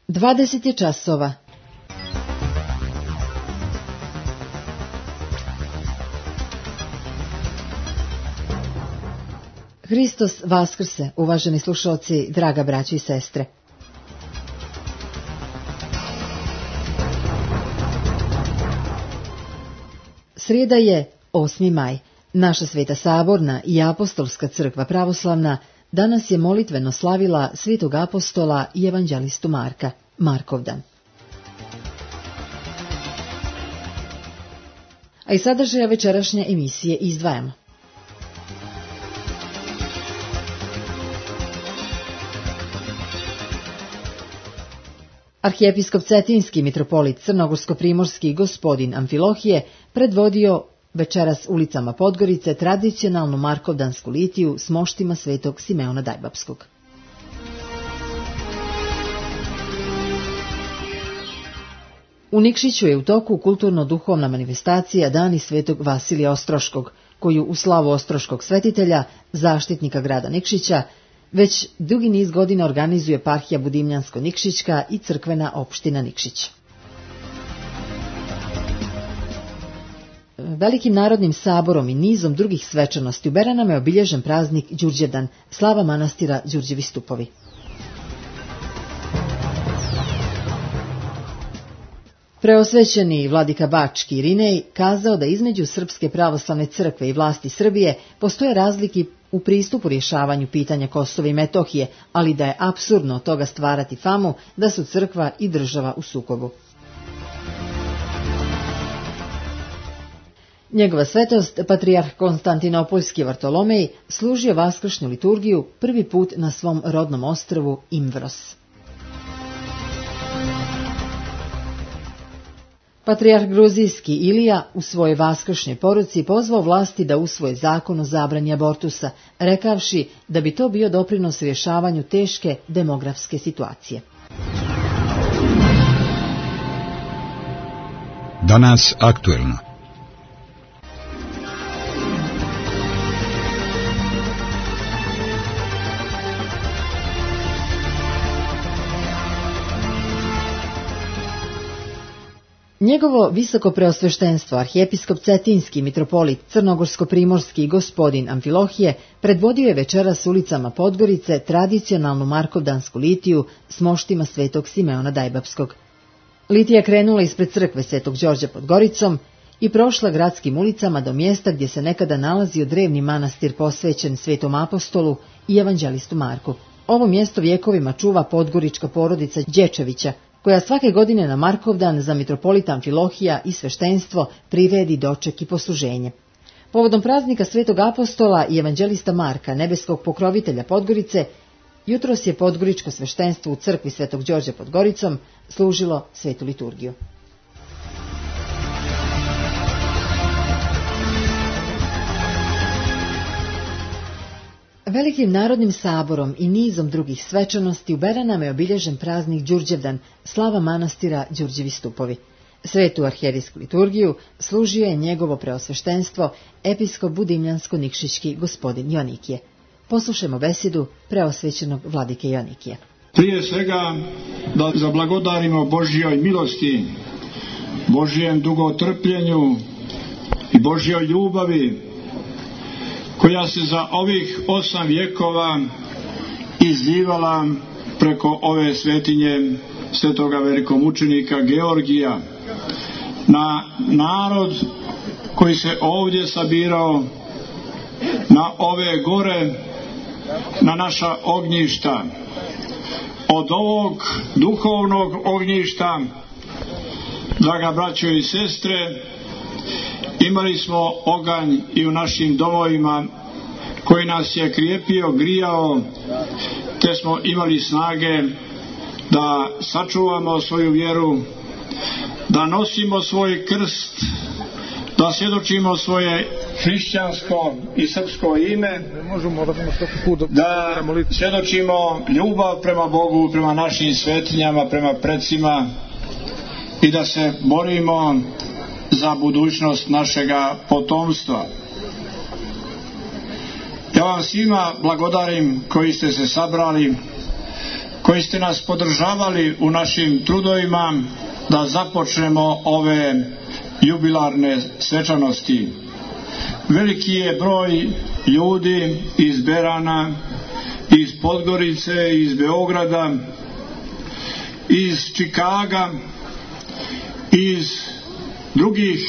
20 je časova. Hristos vaskrse, uvaženi slušalci, draga braćo i sestre. Srijeda je 8. maj. Naša Sveta Saborna i Apostolska crkva pravoslavna danas je molitveno slavila Svetog apostola i evanđelistu Marka, Markovdan. A i sadržaja večerašnje emisije izdvajamo. Arhijepiskop Cetinski mitropolit Crnogorsko-primorski gospodin Amfilohije predvodio večeras ulicama Podgorice tradicionalnu markovdansku litiju s moštima svetog Simeona Dajbapskog. U Nikšiću je u toku kulturno-duhovna manifestacija Dani svetog Vasilija Ostroškog, koju u slavu ostroškog svetitelja, zaštitnika grada Nikšića, već dugi niz godina organizuje eparhija Budimljansko-Nikšićka i crkvena opština Nikšić. Velikim narodnim saborom i nizom drugih svečanosti u Beranama je obilježen praznik Đurđevdan, slava manastira Đurđevi stupovi. Preosvećeni vladika Bački Irinej kazao da između Srpske pravoslavne crkve i vlasti Srbije postoje razlike u pristupu rješavanju pitanja Kosova i Metohije, ali da je apsurdno od toga stvarati famu da su crkva i država u sukobu. Njegova svetost, patrijarh Konstantinopoljski Vartolomej, služio vaskršnju liturgiju prvi put na svom rodnom ostrvu Imvros. Patrijarh Gruzijski Ilija u svojoj vaskršnjoj poruci pozvao vlasti da usvoje zakon o zabrani abortusa, rekavši da bi to bio doprinos rješavanju teške demografske situacije. Danas aktuelno. Njegovo visoko preosveštenstvo, arhijepiskop Cetinski mitropolit Crnogorsko-primorski gospodin Amfilohije predvodio je večeras ulicama Podgorice tradicionalnu markovdansku litiju s moštima svetog Simeona Dajbapskog. Litija krenula ispred crkve Svetog Đorđa pod Goricom i prošla gradskim ulicama do mjesta gdje se nekada nalazio drevni manastir posvećen Svetom apostolu i evanđelistu Marku. Ovo mjesto vjekovima čuva podgorička porodica Đečevića, koja svake godine na Markovdan za mitropolita Amfilohija i sveštenstvo priredi doček i posluženje. Povodom praznika Svetog apostola i evanđelista Marka, nebeskog pokrovitelja Podgorice, jutros je podgoričko sveštenstvo u crkvi Svetog Đorđa pod Goricom služilo svetu liturgiju. Velikim narodnim saborom i nizom drugih svečanosti u Beranama je obilježen praznik Đurđevdan, slava manastira Đurđevi stupovi. Svetu arhijerijsku liturgiju služio je njegovo preosveštenstvo episkop Budimljansko-Nikšićki gospodin Joanikije. Poslušajmo besedu preosvećenog vladike Joanikije. Prije svega da zablagodarimo Božjoj milosti, Božjem dugotrpljenju i Božjoj ljubavi, koja se za ovih 8 vjekova izlivala preko ove svetinje svetoga velikomučenika Georgija na narod koji se ovdje sabirao, na ove gore, na naša ognjišta. Od ovog duhovnog ognjišta, draga braćo i sestre, imali smo oganj i u našim domovima koji nas je krijepio, grijao, te smo imali snage da sačuvamo svoju vjeru, da nosimo svoj krst, da svjedočimo svoje hrišćansko i srpsko ime, da svjedočimo ljubav prema Bogu, prema našim svetinjama, prema predsima i da se borimo za budućnost našega potomstva. Ja vam svima blagodarim koji ste se sabrali, koji ste nas podržavali u našim trudovima da započnemo ove jubilarne svečanosti. Veliki je broj ljudi iz Berana, iz Podgorice, iz Beograda, iz Čikaga, iz drugih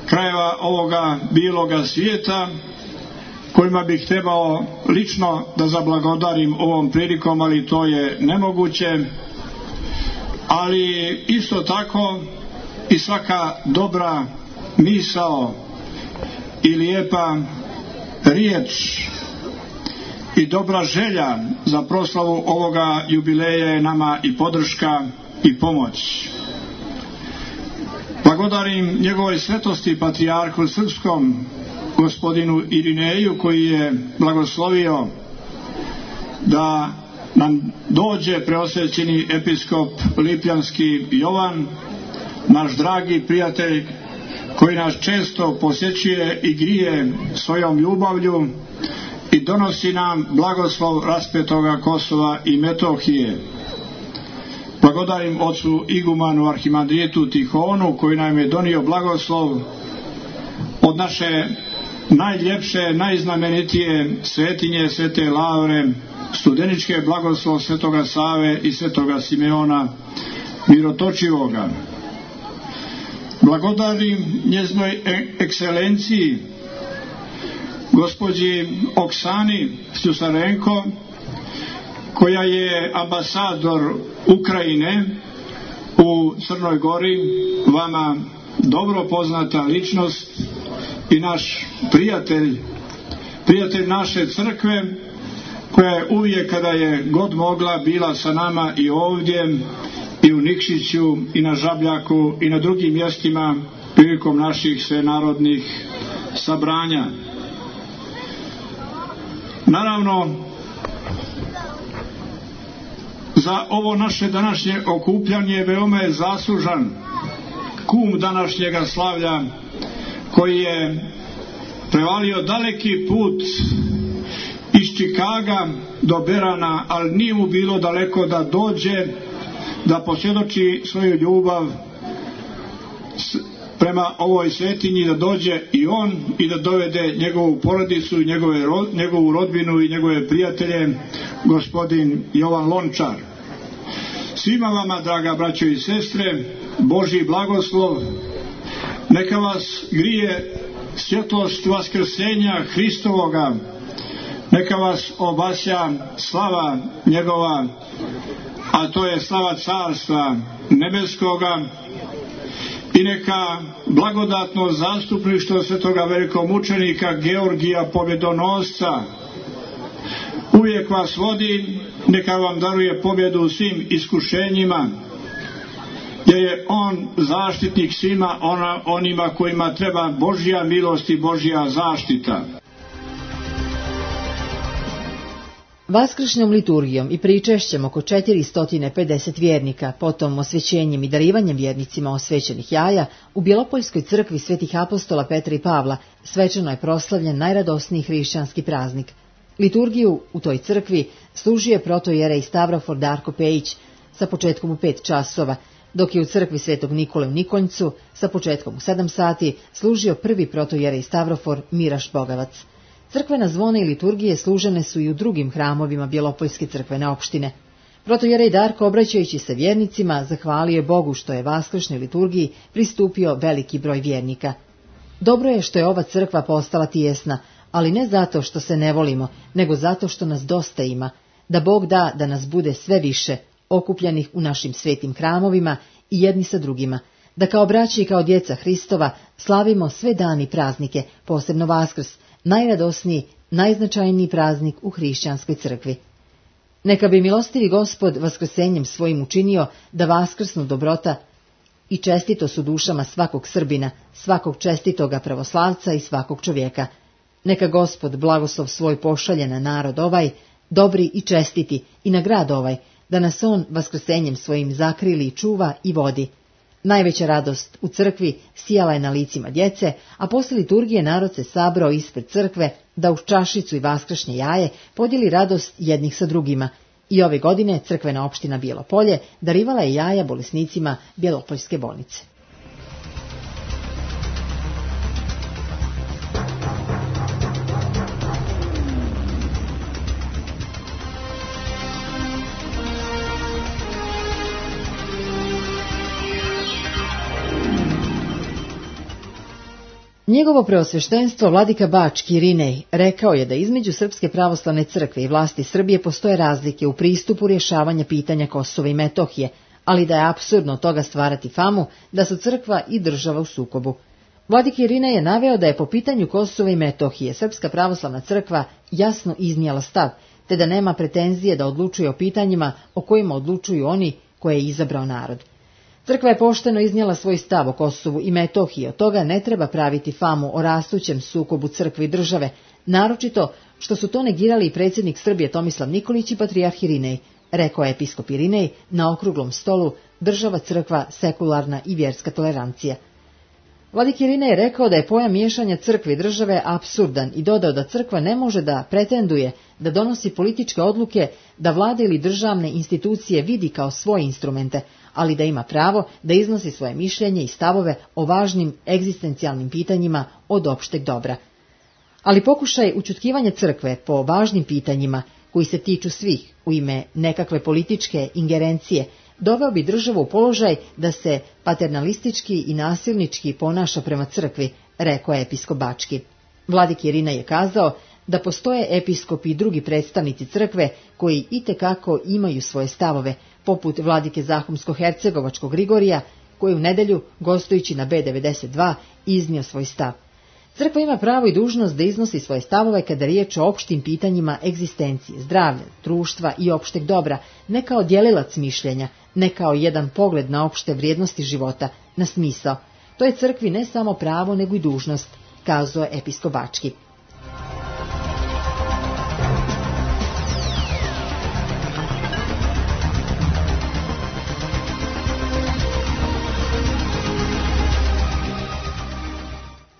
krajeva ovoga bijeloga svijeta, kojima bih trebao lično da zablagodarim ovom prilikom, ali to je nemoguće. Ali isto tako i svaka dobra misao i lijepa riječ i dobra želja za proslavu ovoga jubileja je nama i podrška i pomoć. Blagodarim njegovoj svetosti patrijarhu srpskom gospodinu Irineju, koji je blagoslovio da nam dođe preosvećeni episkop Lipljanski Jovan, naš dragi prijatelj koji nas često posjećuje i grije svojom ljubavlju i donosi nam blagoslov raspetoga Kosova i Metohije. Blagodarim ocu igumanu arhimandritu Tihonu, koji nam je donio blagoslov od naše najljepše, najznamenitije svetinje Svete Lavre, studeničke blagoslov Svetoga Save i Svetoga Simeona Mirotočivoga. Blagodarim njeznoj ekscelenciji gospođi Oksani Sljusarenko, koja je ambasador Ukrajine u Crnoj Gori, vama dobro poznata ličnost i naš prijatelj naše crkve, koja je uvijek kada je god mogla bila sa nama i ovdje i u Nikšiću i na Žabljaku i na drugim mjestima prilikom naših svenarodnih sabranja. Naravno, za ovo naše današnje okupljanje veoma je zaslužan kum današnjega slavlja, koji je prevalio daleki put iz Čikaga do Berana, ali nije mu bilo daleko da dođe, da posvjedoči svoju ljubav prema ovoj svetinji, da dođe i on i da dovede njegovu porodicu, njegovu rodbinu i njegove prijatelje, gospodin Jovan Lončar. Svima vama, draga braćo i sestre, Božji blagoslov, neka vas grije svjetlost vaskrsenja Hristovoga, neka vas obasja slava njegova, a to je slava Carstva nebeskoga, i neka blagodatno zastupništvo svetoga velikomučenika Georgija Pobjedonosca uvijek vas vodi, neka vam daruje pobjedu u svim iskušenjima, jer je on zaštitnik svima onima kojima treba Božja milost i Božja zaštita. Vaskršnjom liturgijom i pričešćem oko 450 vjernika, potom osvećenjem i darivanjem vjernicima osvećenih jaja, u Bjelopoljskoj crkvi svetih apostola Petra i Pavla svečano je proslavljen najradosniji hrišćanski praznik. Liturgiju u toj crkvi služio je protojerej Stavrofor Darko Pejić sa početkom u 5 časova, dok je u crkvi svetog Nikole u Nikonjcu sa početkom u 7 sati služio prvi protojerej Stavrofor Miraš Bogavac. Crkvena zvona i liturgije služene su i u drugim hramovima Bjelopoljske crkvene opštine. Protojerej Darko, obraćajući se vjernicima, zahvalio je Bogu što je vaskršnjoj liturgiji pristupio veliki broj vjernika. Dobro je što je ova crkva postala tijesna, ali ne zato što se ne volimo, nego zato što nas dosta ima, da Bog da da nas bude sve više, okupljenih u našim svetim hramovima i jedni sa drugima, da kao braća i kao djeca Hristova slavimo sve dani i praznike, posebno Vaskrs, najradosniji, najznačajniji praznik u hrišćanskoj crkvi. Neka bi milostivi Gospod vaskrsenjem svojim učinio da vaskrsnu dobrota i čestito su dušama svakog Srbina, svakog čestitoga pravoslavca i svakog čovjeka. Neka Gospod blagoslov svoj pošalje na narod ovaj, dobri i čestiti, i na grad ovaj, da nas on vaskrsenjem svojim zakrili, čuva i vodi. Najveća radost u crkvi sijala je na licima djece, a posle liturgije narod se sabrao ispred crkve da uz čašicu i vaskršnje jaje podijeli radost jednih sa drugima. I ove godine crkvena opština Bijelo Polje darivala je jaja bolesnicima Bjelopoljske bolnice. Njegovo preosveštenstvo vladika Bački Irinej rekao je da između Srpske pravoslavne crkve i vlasti Srbije postoje razlike u pristupu rješavanja pitanja Kosova i Metohije, ali da je apsurdno od toga stvarati famu da su crkva i država u sukobu. Vladik Irinej je naveo da je po pitanju Kosova i Metohije Srpska pravoslavna crkva jasno iznijela stav, te da nema pretenzije da odlučuje o pitanjima o kojima odlučuju oni koje je izabrao narod. Crkva je pošteno iznijela svoj stav o Kosovu i Metohiji, od toga ne treba praviti famu o rastućem sukobu crkve i države, naročito što su to negirali i predsjednik Srbije Tomislav Nikolić i patrijarh Irinej, rekao je episkop Irinej na okruglom stolu Država, crkva, sekularna i vjerska tolerancija. Vladik Irinej je rekao da je pojam miješanja crkve i države apsurdan i dodao da crkva ne može da pretenduje da donosi političke odluke, da vlade ili državne institucije vidi kao svoje instrumente, ali da ima pravo da iznosi svoje mišljenje i stavove o važnim egzistencijalnim pitanjima od opšteg dobra. Ali pokušaj ućutkivanja crkve po važnim pitanjima koji se tiču svih u ime nekakve političke ingerencije doveo bi državu u položaj da se paternalistički i nasilnički ponaša prema crkvi, rekao je episkop Bački. Vladik Irinej je kazao da postoje episkopi i drugi predstavnici crkve koji itekako imaju svoje stavove, poput vladike Zahumsko-Hercegovačkog Grigorija, koji u nedelju, gostujući na B92, iznio svoj stav. Crkva ima pravo i dužnost da iznosi svoje stavove kada je riječ o opštim pitanjima egzistencije, zdravlja, društva i opšteg dobra, ne kao djelilac mišljenja, ne kao jedan pogled na opšte vrijednosti života, na smisao. To je crkvi ne samo pravo, nego i dužnost, kazao je episkop Bački.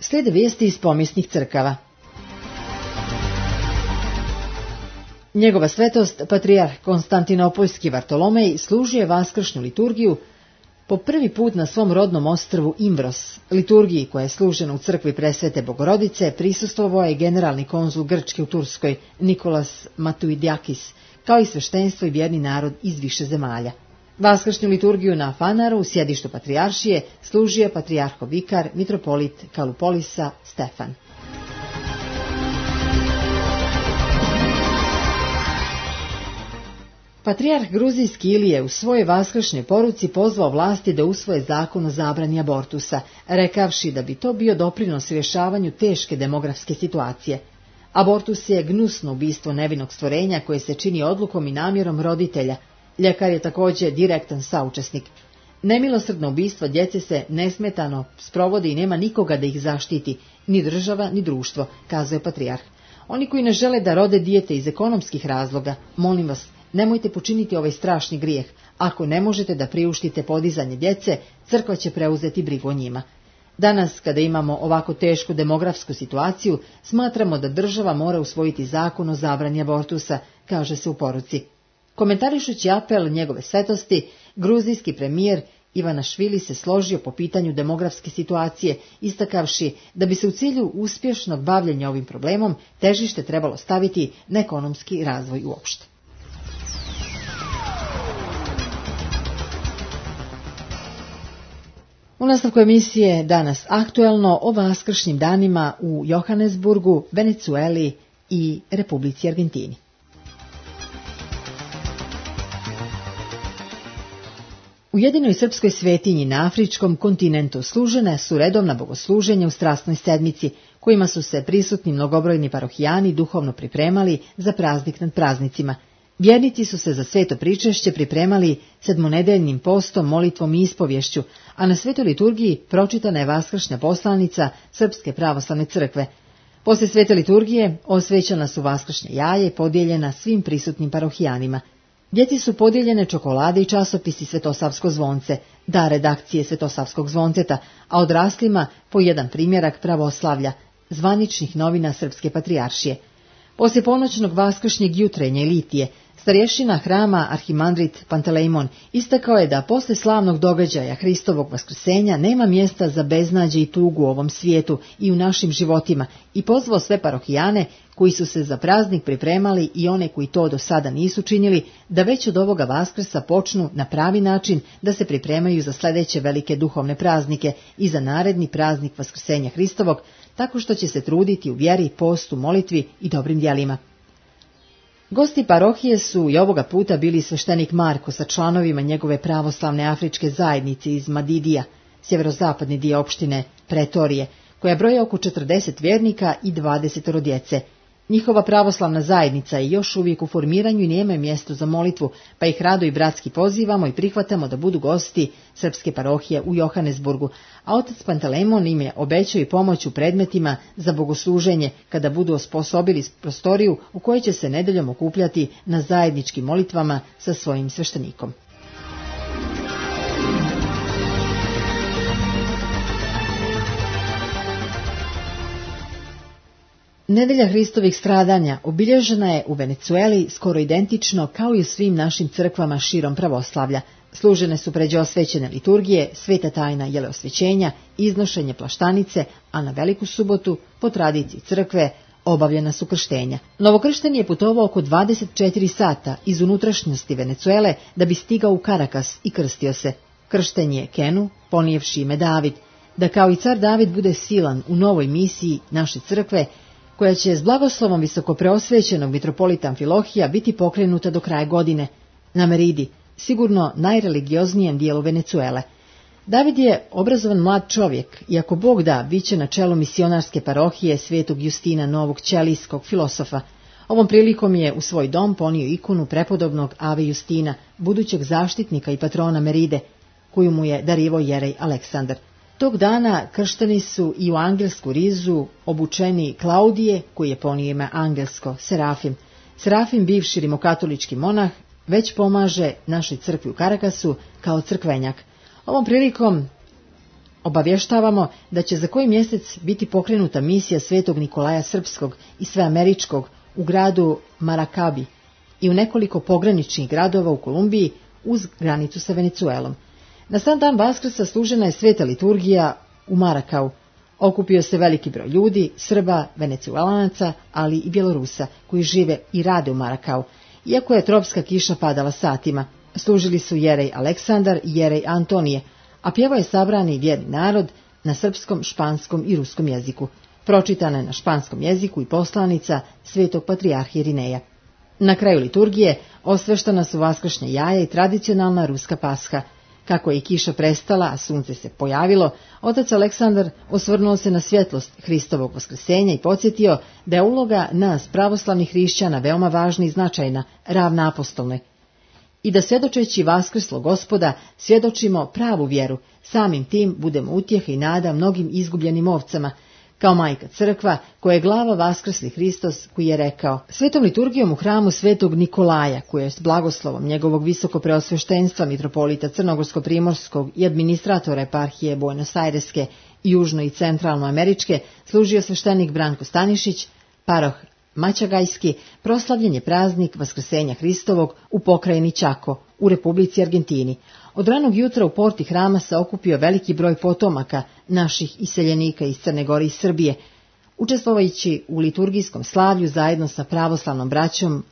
Slijede vijesti iz pomijesnih crkava. Njegova svetost, patrijarh Konstantinopoljski Vartolomej, služio je vaskršnju liturgiju po prvi put na svom rodnom ostrvu Imbros. Liturgiji koja je služena u crkvi Presvete Bogorodice prisustvovao je generalni konzul Grčke u Turskoj Nikolas Matuidakis, kao i sveštenstvo i vjerni narod iz više zemalja. Vaskršnju liturgiju na Fanaru, u sjedištu patrijaršije, služio patrijarhov vikar, mitropolit Kalupolisa Stefan. Patrijarh gruzijski Ilije u svojoj vaskršnjoj poruci pozvao vlasti da usvoje zakon o zabrani abortusa, rekavši da bi to bio doprinos rješavanju teške demografske situacije. Abortus je gnusno ubistvo nevinog stvorenja koje se čini odlukom i namjerom roditelja. Ljekar je također direktan saučesnik. Nemilosrdno ubistvo djece se nesmetano sprovodi i nema nikoga da ih zaštiti, ni država, ni društvo, kazuje patrijarh. Oni koji ne žele da rode dijete iz ekonomskih razloga, molim vas, nemojte počiniti ovaj strašni grijeh. Ako ne možete da priuštite podizanje djece, crkva će preuzeti brigu o njima. Danas, kada imamo ovako tešku demografsku situaciju, smatramo da država mora usvojiti zakon o zabrani abortusa, kaže se u poruci. Komentarišući apel njegove svetosti, gruzijski premijer Ivanašvili se složio po pitanju demografske situacije, istakavši da bi se u cilju uspješnog bavljenja ovim problemom težište trebalo staviti na ekonomski razvoj uopšte. U nastavku emisije danas aktuelno o vaskršnjim danima u Johannesburgu, Venecueli i Republici Argentini. U jedinoj srpskoj svetinji na afričkom kontinentu služene su redovna bogosluženja u strasnoj sedmici, kojima su se prisutni mnogobrojni parohijani duhovno pripremali za praznik nad praznicima. Vjernici su se za sveto pričešće pripremali sedmonedeljnim postom, molitvom i ispovješću, a na svetoj liturgiji pročitana je vaskršnja poslanica Srpske pravoslavne crkve. Poslije svete liturgije osvećana su vaskršnja jaja i podijeljena svim prisutnim parohijanima. Djeci su podijeljene čokolade i časopisi Svetosavsko zvonce, da redakcije Svetosavskog zvonceta, a odraslima po jedan primjerak pravoslavlja, zvaničnih novina Srpske patrijaršije. Poslije ponoćnog vaskršnjeg jutrenja i litije, Starješina hrama arhimandrit Pantelejmon istakao je da posle slavnog događaja Hristovog vaskrsenja nema mjesta za beznađe i tugu u ovom svijetu i u našim životima i pozvao sve parohijane koji su se za praznik pripremali i one koji to do sada nisu činili da već od ovoga Vaskrsa počnu na pravi način da se pripremaju za sljedeće velike duhovne praznike i za naredni praznik Vaskrsenja Hristovog, tako što će se truditi u vjeri, postu, molitvi i dobrim djelima. Gosti parohije su i ovoga puta bili sveštenik Marko sa članovima njegove pravoslavne afričke zajednice iz Madidija, sjeverozapadni dio opštine Pretorije, koja broji oko 40 vjernika i 20 djece. Njihova pravoslavna zajednica je još uvijek u formiranju i nema mjesto za molitvu, pa ih rado i bratski pozivamo i prihvatamo da budu gosti srpske parohije u Johannesburgu, a otac Pantelejmon im je obećao i pomoć u predmetima za bogosluženje kada budu osposobili prostoriju u kojoj će se nedeljom okupljati na zajedničkim molitvama sa svojim sveštenikom. Nedelja Hristovih stradanja obilježena je u Venecueli skoro identično kao i u svim našim crkvama širom pravoslavlja. Služene su pređe osvećene liturgije, sveta tajna jeleosvećenja, iznošenje plaštanice, a na Veliku subotu, po tradiciji crkve, obavljena su krštenja. Novokršteni je putovao oko 24 sata iz unutrašnjosti Venecuele da bi stigao u Karakas i krstio se. Kršten je Kenu, ponijevši ime David, da kao i car David bude silan u novoj misiji naše crkve, koja će s blagoslovom visokopreosvećenog mitropolita Amfilohija biti pokrenuta do kraja godine, na Meridi, sigurno najreligioznijem dijelu Venecuele. David je obrazovan mlad čovjek i ako Bog da, bit će na čelu misionarske parohije svetog Justina Novog ćelijskog filosofa. Ovom prilikom je u svoj dom ponio ikonu prepodobnog Ave Justina, budućeg zaštitnika i patrona Meride, koju mu je darivao jerej Aleksandar. Tog dana kršteni su i u angelsku rizu obučeni Klaudije, koji je ponio ime angelsko, Serafim. Serafim, bivši rimokatolički monah, već pomaže našoj crkvi u Karakasu kao crkvenjak. Ovom prilikom obavještavamo da će za koji mjesec biti pokrenuta misija svetog Nikolaja Srpskog i sveameričkog u gradu Marakabi i u nekoliko pograničnih gradova u Kolumbiji uz granicu sa Venecuelom. Na sam dan Vaskrsa služena je sveta liturgija u Marakau. Okupio se veliki broj ljudi, Srba, Venecuelanaca, ali i Bjelorusa, koji žive i rade u Marakau. Iako je tropska kiša padala satima, služili su jerej Aleksandar i jerej Antonije, a pjevao je sabrani vjerni narod na srpskom, španskom i ruskom jeziku. Pročitana je na španskom jeziku i poslanica svetog patrijarha Irineja. Na kraju liturgije osveštana su vaskršnje jaja i tradicionalna ruska pasha. Kako je kiša prestala, a sunce se pojavilo, otac Aleksandar osvrnuo se na svjetlost Hristovog vaskrsenja i podsjetio da je uloga nas, pravoslavnih hrišćana, veoma važna i značajna, ravna apostolnoj. I da svjedočeći vaskrslo Gospoda, svjedočimo pravu vjeru, samim tim budemo utjeha i nada mnogim izgubljenim ovcama, kao majka crkva, koja je glava vaskrsli Hristos, koji je rekao: Svetom liturgijom u hramu svetog Nikolaja, koji je s blagoslovom njegovog visokopreosveštenstva mitropolita Crnogorsko-primorskog i administratora eparhije Buenos Aireske i južno i centralno američke, služio sveštenik Branko Stanišić, paroh Mačagajski, proslavljen je praznik Vaskrsenja Hristovog u pokrajini Čako, u Republici Argentini. Od ranog jutra u porti hrama se okupio veliki broj potomaka naših iseljenika iz Crne Gore i Srbije, učestvujući u liturgijskom slavlju zajedno sa pravoslavnom braćom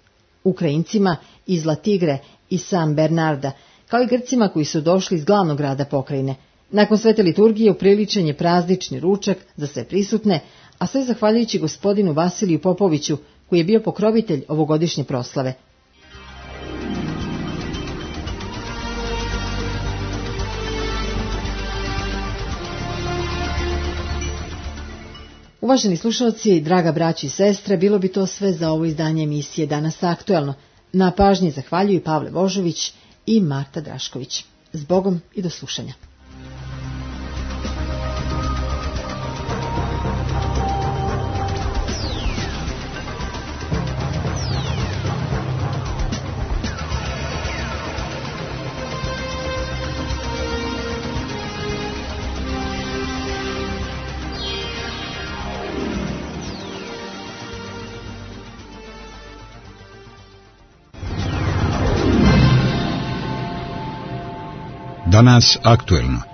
Ukrajincima iz La Tigre i San Bernarda, kao i Grcima koji su došli iz glavnog grada pokrajine. Nakon svete liturgije upriličen je praznični ručak za sve prisutne, a sve zahvaljujući gospodinu Vasiliju Popoviću, koji je bio pokrovitelj ovogodišnje proslave. Uvaženi slušalci, draga braći i sestre, bilo bi to sve za ovo izdanje emisije Danas aktuelno. Na pažnji zahvaljuju Pavle Božović i Marta Drašković. Zbogom i do slušanja. Danas aktuelno.